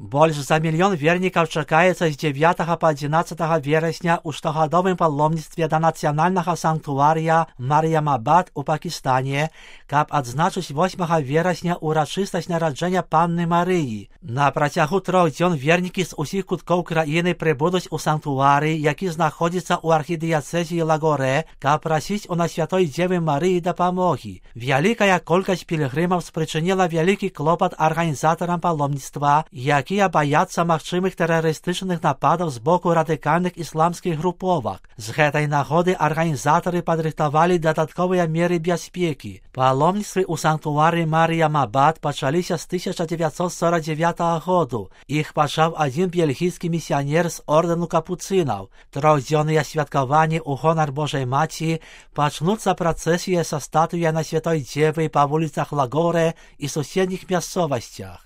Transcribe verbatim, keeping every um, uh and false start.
Больш за мільён вернікаў чакаецца з дзевятага па адзінаццатага верасня ў штогадовым паломніцтве да нацыянальнага санктуарыя Мар'ямабад у Пакістане, каб адзначыць восьмага верасня ўрачыстасць нараджэння Панны Марыі. На працягу трох дзён вернікі з усіх куткоў краіны прыбудуць у санктуарый, які знаходзіцца ў архідыяцэзіі Лагоре, каб прасіць у Насвятой Дзевы Марыі дапамогі. Вялікая колькасць пілігрымаў спрычыніла вялікі клопат арганізатарам паломніцтва, якія баяцца магчымых тэрарыстычных нападаў з боку радыкальных ісламскіх груповак. З гэтай нагоды арганізатары падрыхтавалі дадатковыя меры бяспекі. Паломніцтвы ў санктуары Мар'ямабад пачаліся з тысяча дзевяцьсот сорок дзевятага году. Іх пачаў адзін бельгійскі місіянер з ордэну капуцынаў. Трохдзённыя святкаванні ў гонар Божай Маці пачнуцца працэсія са статуяй Насвятой Дзевы па вуліцах Лагоре і суседніх мясцовасцях.